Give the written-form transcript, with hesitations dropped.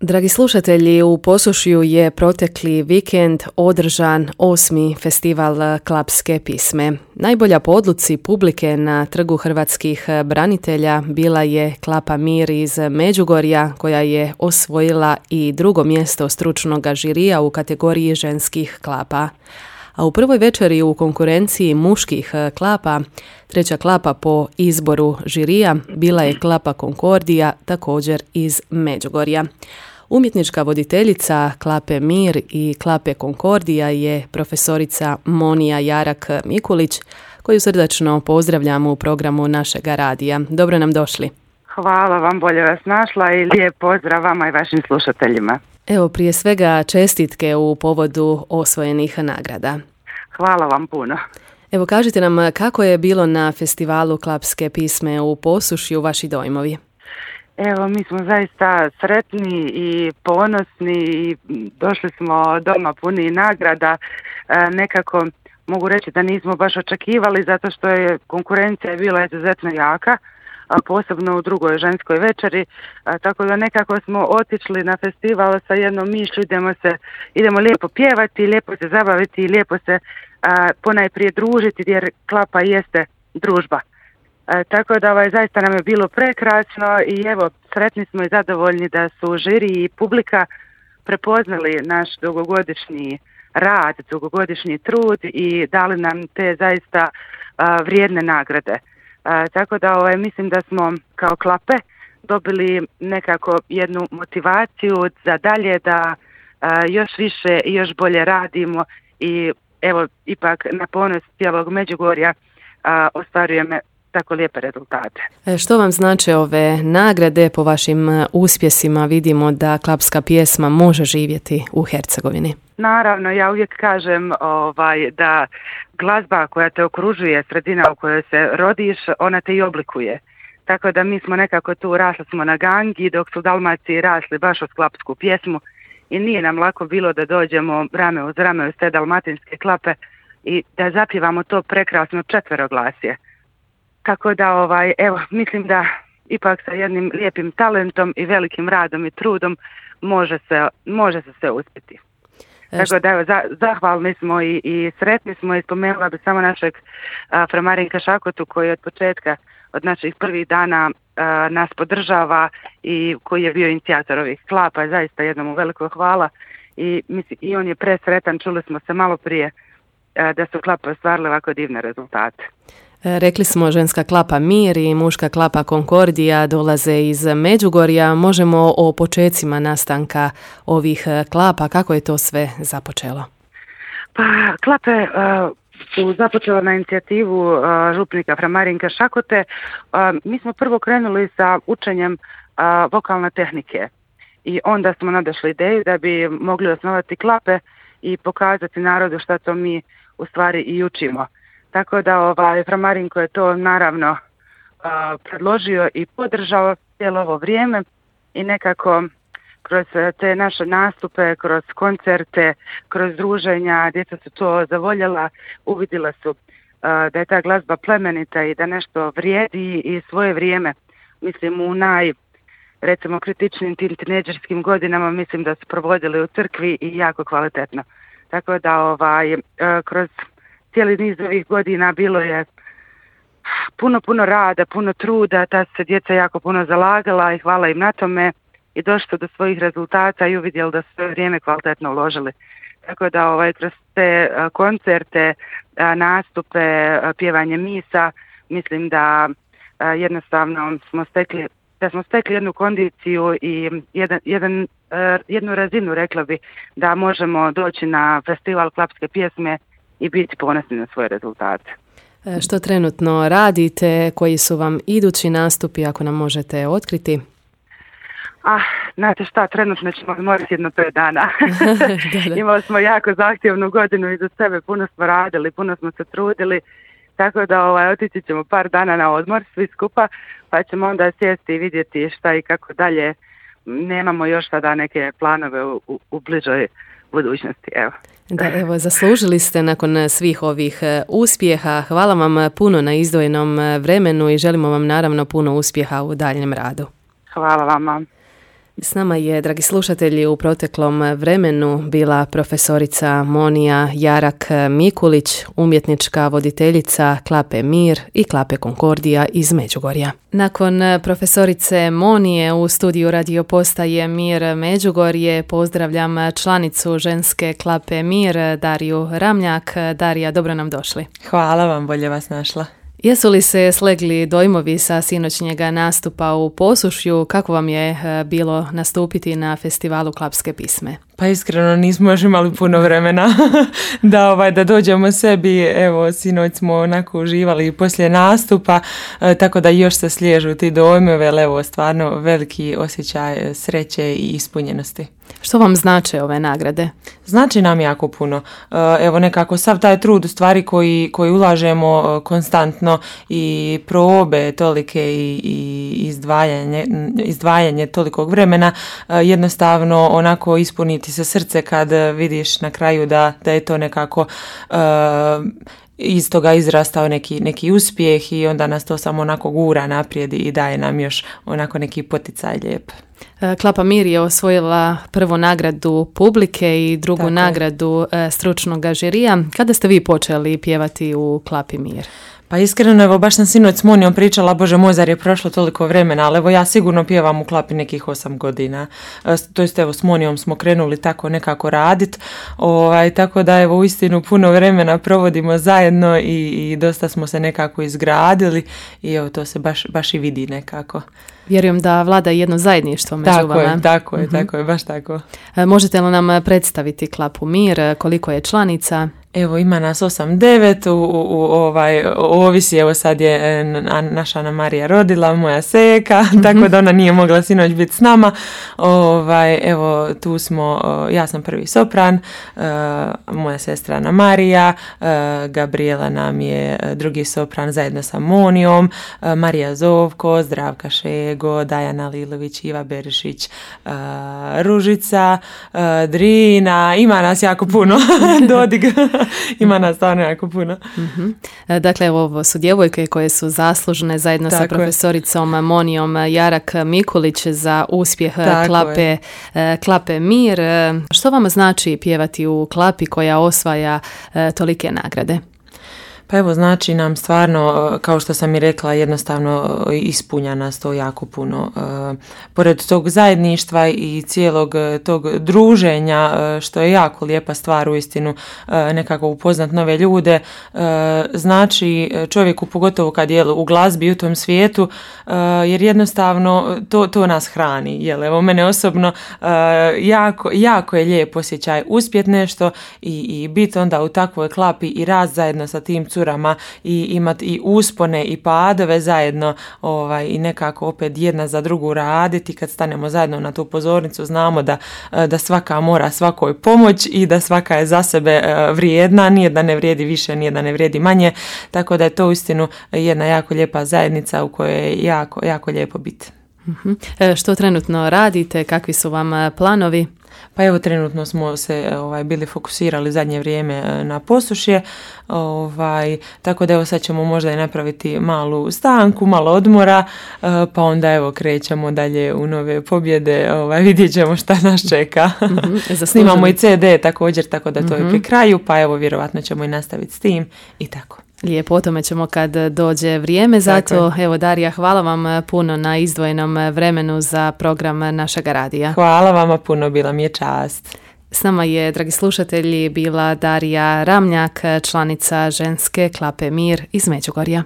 Dragi slušatelji, u Posušju je protekli vikend održan 8. festival klapske pisme. Najbolja po odluci publike na Trgu hrvatskih branitelja bila je Klapa Mir iz Međugorja, koja je osvojila i drugo mjesto stručnog žirija u kategoriji ženskih klapa. A u prvoj večeri u konkurenciji muških klapa, treća klapa po izboru žirija bila je Klapa Konkordija, također iz Međugorja. Umjetnička voditeljica Klape Mir i Klape Konkordija je profesorica Monija Jarak-Mikulić, koju srdačno pozdravljamo u programu našega radija. Dobro nam došli. Hvala vam, bolje vas našla i lijep pozdrav vama i vašim slušateljima. Evo, prije svega čestitke u povodu osvojenih nagrada. Hvala vam puno. Evo, kažite nam kako je bilo na festivalu klapske pisme u Posušju, vaši dojmovi? Evo, mi smo zaista sretni i ponosni i došli smo doma puni nagrada. Nekako mogu reći da nismo baš očekivali zato što je konkurencija bila izuzetno jaka, a posebno u drugoj ženskoj večeri, tako da nekako smo otišli na festival sa jednom mišlju, idemo lijepo pjevati, lijepo se zabaviti i lijepo se ponajprije družiti jer klapa jeste družba. Tako da zaista nam je bilo prekrasno i evo, sretni smo i zadovoljni da su žiri i publika prepoznali naš dugogodišnji rad, dugogodišnji trud i dali nam te zaista vrijedne nagrade. Tako da mislim da smo kao klape dobili nekako jednu motivaciju za dalje da još više i još bolje radimo i evo ipak na ponos cijelog Međugorja ostvarujemo tako lijepe rezultate. Što vam znače ove nagrade? Po vašim uspjesima vidimo da klapska pjesma može živjeti u Hercegovini. Naravno, ja uvijek kažem da glazba koja te okružuje, sredina u kojoj se rodiš, ona te i oblikuje. Tako da mi smo nekako tu rasli smo na gangi, dok su Dalmaciji rasli baš uz klapsku pjesmu i nije nam lako bilo da dođemo rame uz rame uz te dalmatinske klape i da zapjevamo to prekrasno četveroglasje. Tako da evo, mislim da ipak sa jednim lijepim talentom i velikim radom i trudom može se sve uspjeti. Tako da evo, zahvalni smo i sretni smo i spomenula bi samo našeg fra Marinka Šakotu koji od početka, od naših prvih dana nas podržava i koji je bio inicijator ovih klapa. Zaista jednom veliko hvala i on je presretan, čuli smo se malo prije da su klape ostvarile ovako divne rezultate. Rekli smo ženska klapa Mir i muška klapa Konkordija dolaze iz Međugorja. Možemo o počecima nastanka ovih klapa, kako je to sve započelo? Pa klape su započela na inicijativu župnika fra Marinka Šakote. Mi smo prvo krenuli sa učenjem vokalne tehnike i onda smo nadašli ideju da bi mogli osnovati klape i pokazati narodu što to mi u stvari i učimo. Tako da fra Marinko je to naravno predložio i podržao cijelo ovo vrijeme i nekako kroz te naše nastupe, kroz koncerte, kroz druženja, djeca su to zavoljela, uvidjela su da je ta glazba plemenita i da nešto vrijedi i svoje vrijeme. Mislim u recimo kritičnim tim tinejdžerskim godinama mislim da su provodili u crkvi i jako kvalitetno. Tako da kroz cijeli niz ovih godina bilo je puno rada, puno truda, ta se djeca jako puno zalagala i hvala im na tome i došli do svojih rezultata i uvidjeli da su svoje vrijeme kvalitetno uložili. Tako da kroz te koncerte, nastupe, pjevanje misa, mislim da jednostavno smo stekli jednu kondiciju i jednu razinu, rekla bi, da možemo doći na festival klapske pjesme i biti ponosni na svoje rezultate. Što trenutno radite? Koji su vam idući nastupi, ako nam možete otkriti? Znate šta, trenutno ćemo morati jedno 5 dana. Imali smo jako zahtjevnu godinu iza sebe, puno smo radili, puno smo se trudili, tako da otići ćemo par dana na odmor svi skupa, pa ćemo onda sjesti i vidjeti šta i kako dalje. Nemamo još sada neke planove u bližoj budućnosti, evo. Evo, zaslužili ste nakon svih ovih uspjeha. Hvala vam puno na izdvojenom vremenu i želimo vam naravno puno uspjeha u daljnjem radu. Hvala vama. S nama je, dragi slušatelji, u proteklom vremenu bila profesorica Monija Jarak Mikulić, umjetnička voditeljica Klape Mir i Klape Konkordija iz Međugorja. Nakon profesorice Monije u studiju radio postaje Mir Međugorje pozdravljam članicu ženske Klape Mir, Dariju Ramljak. Darija, dobro nam došli. Hvala vam, bolje vas našla. Jesu li se slegli dojmovi sa sinoćnjega nastupa u Posušju? Kako vam je bilo nastupiti na festivalu klapske pisme? Pa iskreno nismo još imali puno vremena da dođemo sebi. Evo, sinoć smo onako uživali poslije nastupa, tako da još se sliježu ti dojmovi, ali evo, stvarno veliki osjećaj sreće i ispunjenosti. Što vam znače ove nagrade? Znači nam jako puno. Evo, nekako sav taj trud u stvari koji ulažemo konstantno i probe tolike i izdvajanje tolikog vremena, jednostavno onako ispuniti se srce kad vidiš na kraju da je to nekako iz toga izrastao neki uspjeh i onda nas to samo onako gura naprijed i daje nam još onako neki poticaj lijep. Klapa Mir je osvojila prvu nagradu publike i drugu nagradu stručnog žirija. Kada ste vi počeli pjevati u Klapi Mir? Pa iskreno, evo, baš sam sinoć s Monijom pričala, Bože moj, zar je prošlo toliko vremena, ali evo, ja sigurno pjevam u Klapi nekih 8 godina. To jest, evo, s Monijom smo krenuli tako nekako radit, tako da, evo, uistinu puno vremena provodimo zajedno i dosta smo se nekako izgradili i evo, to se baš i vidi nekako. Vjerujem da vlada jedno zajedništvo među vama. Tako je, baš tako. Možete li nam predstaviti Klapu Mir, koliko je članica? Evo, ima nas 8-9, ovisi, evo sad je naša Ana Marija rodila, moja seka, tako da ona nije mogla sinoć biti s nama. Evo, tu smo, ja sam prvi sopran, moja sestra Ana Marija, Gabriela nam je drugi sopran zajedno sa Monijom, Marija Zovko, Zdravka Šego, Dajana Lilović, Iva Berišić, Ružica, Drina, ima nas jako puno, Dodig. Ima nas stvarno jako puno. Dakle, ovo su djevojke koje su zaslužne zajedno sa profesoricom Monijom Jarak Mikulić za uspjeh Klape Mir. Što vam znači pjevati u Klapi koja osvaja tolike nagrade? Pa evo, znači nam stvarno, kao što sam i rekla, jednostavno ispunja nas to jako puno. Pored tog zajedništva i cijelog tog druženja, što je jako lijepa stvar uistinu, nekako upoznat nove ljude, znači čovjeku, pogotovo kad je u glazbi u tom svijetu, jer jednostavno to nas hrani. Jel, evo, mene osobno jako je lijep osjećaj uspjet nešto i biti onda u takvoj klapi i rast zajedno sa tim curama i imati i uspone i padove zajedno i nekako opet jedna za drugu raditi. Kad stanemo zajedno na tu pozornicu, znamo da svaka mora svakoj pomoć i da svaka je za sebe vrijedna, nije da ne vrijedi više, nije da ne vrijedi manje, tako da je to uistinu jedna jako lijepa zajednica u kojoj je jako lijepo biti. Što trenutno radite, kakvi su vam planovi? Pa evo, trenutno smo se bili fokusirali zadnje vrijeme na Posušje, tako da evo sad ćemo možda i napraviti malu stanku, malo odmora, pa onda evo krećemo dalje u nove pobjede, vidjet ćemo šta nas čeka. Snimamo i CD također, tako da to je pri kraju, pa evo vjerovatno ćemo i nastaviti s tim i tako. Lijepo, o tome ćemo kad dođe vrijeme. Zato, evo, Darija, hvala vam puno na izdvojenom vremenu za program našega radija. Hvala vama puno, bila mi je čast. S nama je, dragi slušatelji, bila Darija Ramljak, članica ženske Klape Mir iz Međugorja.